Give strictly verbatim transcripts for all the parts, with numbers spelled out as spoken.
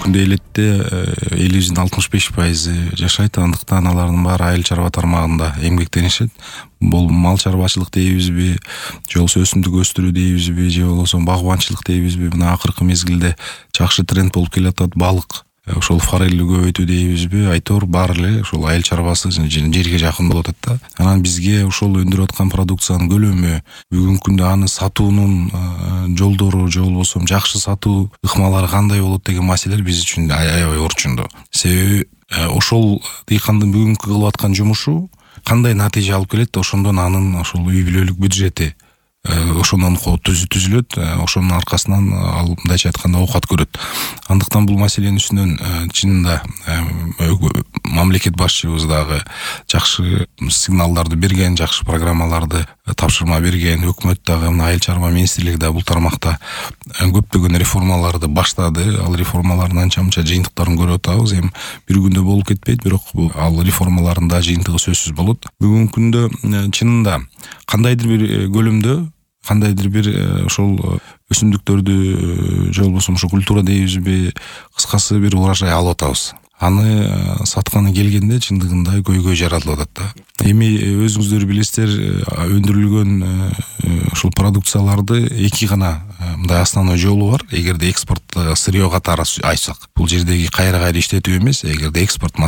күндө элетте элибиздин алтымыш беш пайызы жашайт. Андыктан алардын баары айыл чарба тармагында эмгектенишет. Бул мал чарбачылык дейбизби, же болбосо өсүмдүк өстүрүү дейбизби, же болбосо багбанчылык дейбизби, мына акыркы мезгилде жакшы тренд болуп келатат. Балык, ошол форелди көбөйтүү дейбизби, айтор баары эле ошол айыл чарбасы жерге жакын болуп атат да. Анан бизге ошол өндүрүп аткан продукциянын көлөмү, бүгүнкү күндө аны сатуунун жолдору, же болбосо жакшы сатуу ыкмалары кандай болот деген маселелер биз үчүн аябай орчундуу. Себеби ошол дыйкандын бүгүнкү кылып аткан жумушу кандай натыйжа алып келет, ошондон анын ошол үй бүлөлүк бюджети ошондон түзүлөт, ошонун аркасынан ал мындайча айтканда оокат көрөт. Андыктан бул маселенин үстүнөн чынында мамлекет башчыбыз дагы жакшы сигналдарды берген, жакшы программаларды тапшырма берген, өкмөт дагы мына айыл чарба министрлиги да бул тармакта көптөгөн реформаларды баштады. Ал реформалардын анча-мынча жыйынтыктарын көрүп атабыз. Эми бир күндө болуп кетпейт, бирок ал реформалардын да жыйынтыгы сөзсүз болот. Бүгүнкү күндө чынында кандайдыр бир көлөмдө, кандайдыр бир ошол өсүмдүктөрдү, же болбосо ошо культура дейбизби, кыскасы бир урожай алып атабыз. Аны сатканы келгенде чындыгында көйгөй жаралып атат да. Эми өзүңүздөр билесиздер, өндүрүлгөн ушул продукцияларды эки гана мындай основной жолу бар. Эгерде экспорт сырьё катары айтсак, бул жердеги кайра-кайра иштетүү эмес. Эгерде экспорт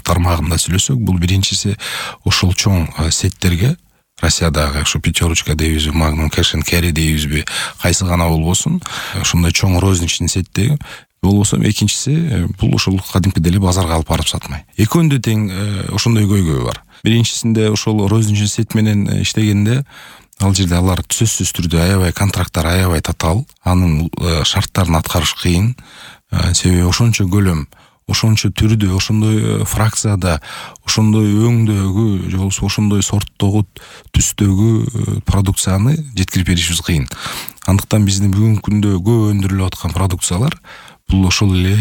тармагында сүйлөсөк, бул биринчиси ошол чоң сеттерге, Россиядагы ошо пятерочка дейбизби, Magnum Cash and Carry дейбизби, кайсы гана болбосун, ошондой чоң розничный сеттеги болбосо, экинчиси бул ошол кадимкидей эле базарга алып барып сатмай. Экөөндө тең ошондой көйгөй бар. Биринчисинде ошол розничный сет менен иштегенде ал жерде алар сөзсүз түрдө аябай контракттар аябай татаал, анын шарттарын аткарыш кыйын. Себеби ошончо көлөм, ошончо түрдө, ошондой фракцияда, ошондой өңдөгү, же болбосо ошондой сорттогу, түстөгү продукцияны жеткирип беришибиз кыйын. Андыктан биздин бүгүнкү күндө көп өндүрүлүп аткан продукциялар бул ошол эле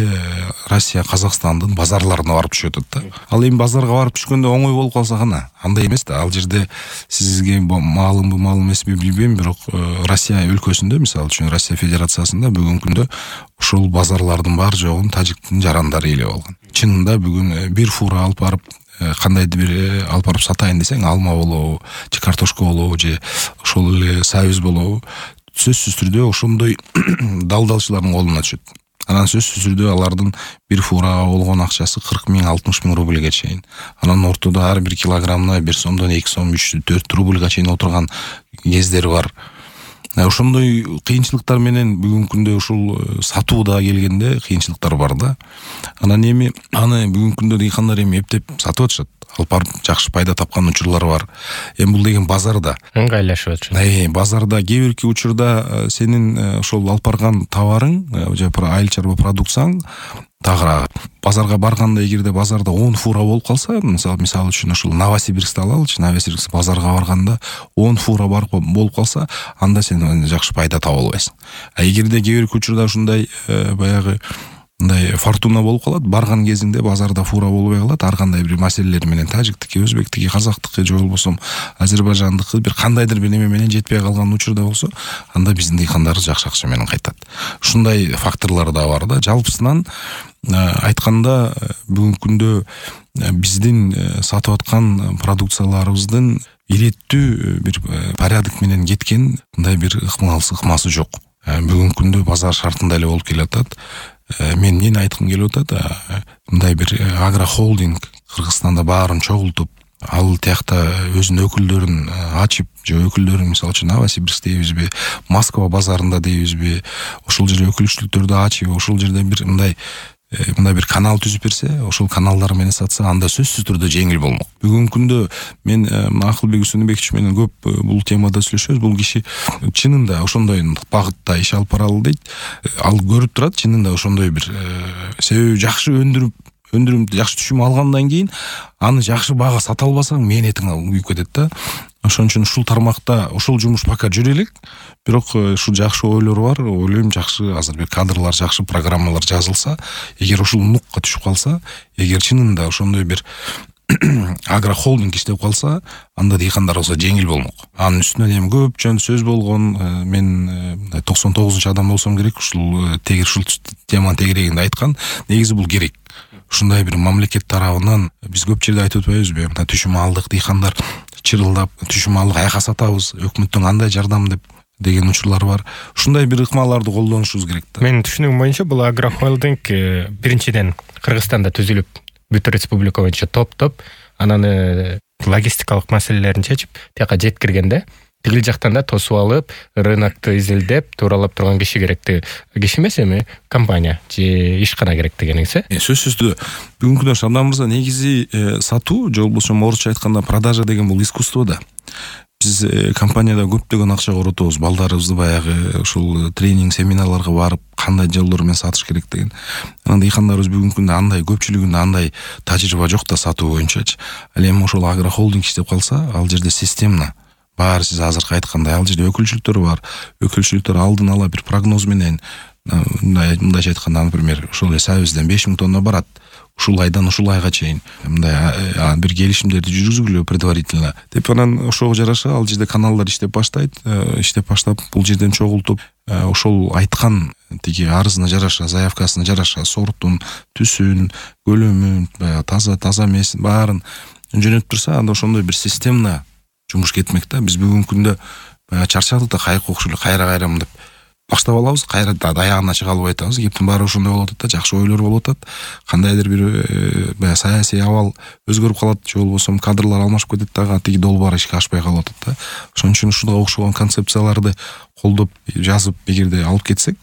Россия, Казакстандын базарларына барып түшүп атат да. Ал эми базарга барып түшкөндө оңой болуп калса гана, андай эмес да. Ал жерде сизге маалымбы, маал эмеспи билбейм, бирок Россия өлкөсүндө, мисалы үчүн Россия Федерациясында бүгүнкү күндө ошол базарлардын бар жогун тажиктин жарандары ээлеп алган. Чынында бүгүн бир фура алып барып кандайдыр бир алып барып сатайын десең, алма болобу, же картошка болобу, же ошол эле сабиз болобу, сөзсүз түрдө ошондой далдалчылардын колуна түшөт. Анан сөзсүз түрдө алардын бир фурага болгон акчасы кырк миң, алтымыш миң рубльге чейин. Анан ортодо ар бир килограммына бир сомдон эки сом, үч, төрт рубльга чейин отурган кездер бар. Ошондой кыйынчылыктар менен бүгүнкү күндө ушул сатууда келгенде кыйынчылыктар бар да. Анан эми аны бүгүнкү күндө дыйкандар эми эптеп сатып атышат. Алып барып жакшы пайда тапкан учурлар бар. Эми бул деген базарда ыңгайлашып атышат. Э, базарда кээ бирки учурда сенин ошол алып барган товарың, же айыл чарба продукцияң тагыраак. Базарга барганда, эгерде базарда он фура болуп калса, мисалы мисалы үчүн ошол Новосибирскти алалычы, Новосибирск базарга барганда он фура бар болуп калса, анда сен жакшы пайда таба албайсың. А эгерде кээ бирки учурда ушундай баягы мындай фортуна болуп калат, барган кезинде базарда фура болбой калат, ар кандай бир маселелер менен тажиктики, өзбектики, казактыкы, же болбосо азербайжандыкы бир кандайдыр бир неме менен жетпей калган учурда болсо, анда биздин дыйкандар жакшы акча менен кайтат. Ушундай факторлор да бар да. Жалпысынан айтканда, бүгүнкү күндө биздин сатып аткан продукцияларыбыздын иреттүү бир порядок менен кеткен мындай бир ыкмасы ыкмасы жок. Бүгүнкү күндө базар шартында эле болуп келатат. Мен эмнени айткым келип атат, мындай бир агрохолдинг Кыргызстанда баарын чогултуп, ал тиякта өзүнүн өкүлдөрүн ачып, же өкүлдөрүн мисалы үчүн Новосибирск дейбизби, Москва базарында дейбизби, ошол жерде өкүлчүлүктөрдү ачып, ошол жерде бир мындай мындай бир канал түзүп берсе, ошол каналдар менен сатса, анда сөзсүз түрдө жеңил болмок. Бүгүнкү күндө мен Акылбек Үсөнбекович менен көп бул темада сүйлөшөбүз. Бул киши чынында ошондой багытта иш алып баралы дейт. Ал көрүп турат, чынында ошондой бир себеби жакшы өндүрүп өндүрүм жакшы түшүм алгандан кийин аны жакшы баага сата албасаң, мээнетиң күйүп кетет да. Ошон үчүн ушул тармакта ошол жумуш пока жүрө элек, бирок ушул жакшы ойлор бар. Ойлойм, жакшы азыр бир кадрлар, жакшы программалар жазылса, эгер ушул нукка түшүп калса, эгер чынында ошондой бир агрохолдинг иштеп калса, анда дыйкандар болсо жеңил болмок. Анын үстүнөн эми көп жөн сөз болгон, мен токсон тогузунчу адам болсом керек, ушул тегер ушул теманын тегерегинде айткан. Негизи бул керек. Ушундай бир мамлекет тарабынан биз көп жерде айтып атпайбызбы? Мына түшүм алдык, дыйкандар чырылдап, түшүм алдык, аяка сатабыз, өкмөттөн кандай жардам деп деген учурлар бар. Ушундай бир ыкмаларды колдонушубуз керек да. Менин түшүнүгүм боюнча бул агрохолдинг биринчиден Кыргызстанда түзүлүп, бүт республика боюнча топтоп, анан логистикалык маселелерин чечип, тияка жеткиргенде, тигил жактан да тосуп алып, рынокты изилдеп, тууралап турган киши керекти. Киши эмес эми компания же ишкана керек дегениңиз э? Сөзсүз түрдө бүгүнкү күндө Шабдан мырза, негизи сатуу, же болбосо орусча айтканда продажа деген бул искусство да. Биз компанияда көптөгөн акча коротобуз, балдарыбызды баягы ушул тренинг, семинарларга барып, кандай жолдор менен сатыш керек деген. Анан дыйкандарыбыз бүгүнкү күндө андай, көпчүлүгүндө андай тажрыйба жок да сатуу боюнчачы. Ал эми ошол агрохолдинг иштеп калса, ал жерде системно баары сиз азыркы айткандай, ал жерде өкүлчүлүктөр бар. Өкүлчүлүктөр алдын ала бир прогноз менен, мындайча айтканда, например, ошол сабизден беш миң тонна барат. Ушул айдан ушул айга чейин мындай бир келишимдерди жүргүзгүлө предварительно деп, анан ошого жараша ал жерде каналдар иштеп баштайт, иштеп баштап бул жерден чогултуп, ошол айткан тиги арызына жараша, заявкасына жараша сортун, түсүн, көлөмүн, баягы таза, таза эмесин баарын жөнөтүп турса, анда ошондой бир системно жумуш кетмек да. Биз бүгүнкү күндө баягы чарчадык да, кайык окшолуу кайра-кайра мындай баштап алабыз, кайра аягына чыга албай атабыз. Кептин баары ошондой болуп атат да, жакшы ойлор болуп атат. Кандайдыр бир баягы саясий абал өзгөрүп калат, же болбосо кадрлар алмашып кетет дагы, тиги долбоор ишке ашпай калып атат да. Ошон үчүн ушуга окшогон концепцияларды колдоп, жазып, эгерде алып кетсек,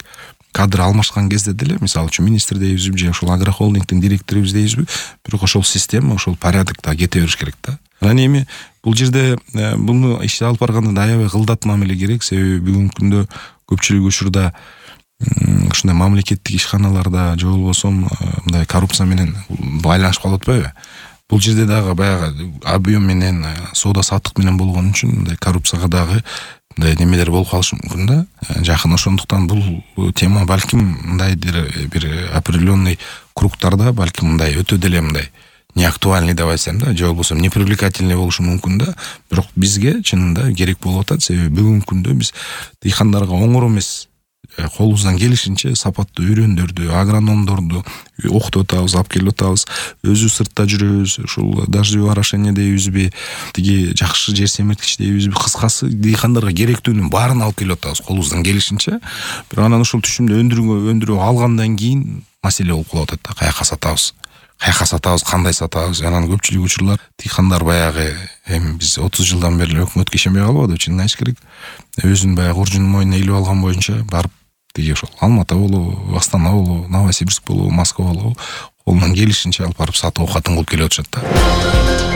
кадр алмашкан кезде деле, мисалы үчүн министр дейбизби, же ошол агрохолдингдин директорубуз дейбизби, бирок ошол система, ошол порядок да кете бериш керек да. Анан эми бул жерде буну ишти алып барганда да аябай кылдат мамиле керек, себеби бүгүнкү күндө көпчүлүк учурда ушундай мамлекеттик ишканаларда, же болбосо мындай коррупция менен байланышып калып атпайбы? Бул жерде дагы баягы объем менен, соода саттык менен болгон үчүн мындай коррупцияга дагы мындай немелер болуп калышы мүмкүн да. Жакын ошондуктан бул тема балким мындай бир определенный кругтарда балким мындай өтө деле мындай не актуальный деп айтсам да, же болбосо непривлекательный болушу мүмкүн да. Бирок бизге чынында керек болуп атат, себеби бүгүнкү күндө биз дыйкандарга оңор эмес, колубуздан келишинче сапаттуу үйрөндөрдү, агрономдорду окутуп атабыз, алып келип атабыз. Өзүбүз сыртта жүрөбүз, ушул дождевой орошение дейбизби, тиги жакшы жер семирткич дейбизби, кыскасы дыйкандарга керектүүнүн баарын алып келип атабыз колубуздан келишинче. Бирок анан ушул түшүмдү өндүрүүгө өндүрүп алгандан кийин маселе болуп калып атат да, каяка сатабыз. Каяка сатабыз, кандай сатабыз? Анан көпчүлүк учурлар дыйкандар баягы эми биз отуз жылдан бери өкмөткө ишенбей калбадыбы, чынын айтыш керек. Өзүн баягы уржунун мойнуна илип алган боюнча барып тиги ошол Алматы болобу, Астана болобу, Новосибирск болобу, Москва болобу колунан келишинче алып барып сатып окатын кылып келип атышат да.